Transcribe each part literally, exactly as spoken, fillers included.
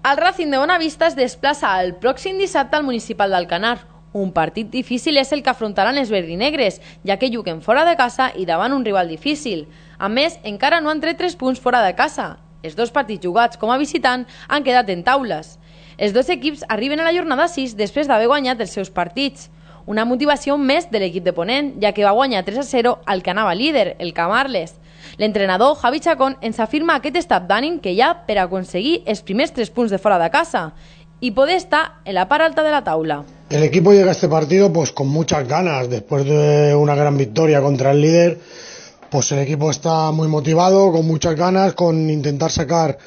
El Racing de Bonavista es desplaça el pròxim dissabte al Municipal d'Alcanar. Un partit difícil és el que afrontaran els verdinegres, ja que juguen fora de casa i davant un rival difícil. A més, encara no han tret tres punts fora de casa. Els dos partits jugats com a visitant han quedat en taules. Els dos equips arriben a la jornada sis després d'haver guanyat els seus partits. Una motivació més de l'equip de Ponent, ja que va guanyar tres a zero al que anava líder, el Camarles. L'entrenador Javi Chacón ens afirma aquest estat d'ànim que hi ha per aconseguir els primers tres punts de fora de casa y poder estar en la part alta de la taula. El equipo llega a este partido pues con muchas ganas, después de una gran victoria contra el líder, pues el equipo está muy motivado, con muchas ganas, con intentar sacar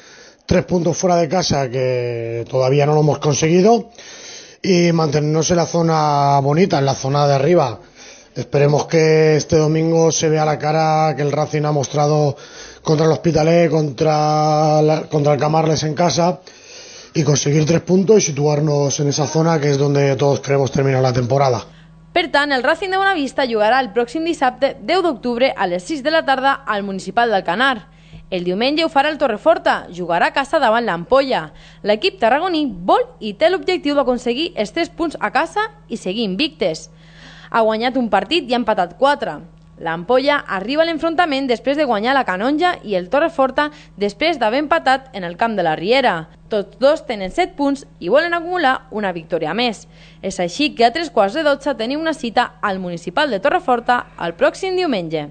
tres puntos fuera de casa que todavía no lo hemos conseguido y mantenernos en la zona bonita, en la zona de arriba. Esperemos que este domingo se vea la cara que el Racing ha mostrado contra el Hospitalet, contra, la, contra el Camarles en casa y conseguir tres puntos y situarnos en esa zona que es donde todos queremos terminar la temporada. Per tant, el Racing de Bonavista jugarà el pròxim dissabte deu d'octubre a les sis de la tarda al Municipal d'Alcanar. El diumenge ho farà el Torreforta, jugarà a casa davant l'Ampolla. L'equip tarragoní vol i té l'objectiu d'aconseguir els tres punts a casa i seguir invictes. Ha guanyat un partit i ha empatat quatre. L'Ampolla arriba a l'enfrontament després de guanyar la Canonja i el Torreforta després d'haver empatat en el camp de la Riera. Tots dos tenen set punts i volen acumular una victòria més. És així que a tres quarts de dotze tenim una cita al Municipal de Torreforta el pròxim diumenge.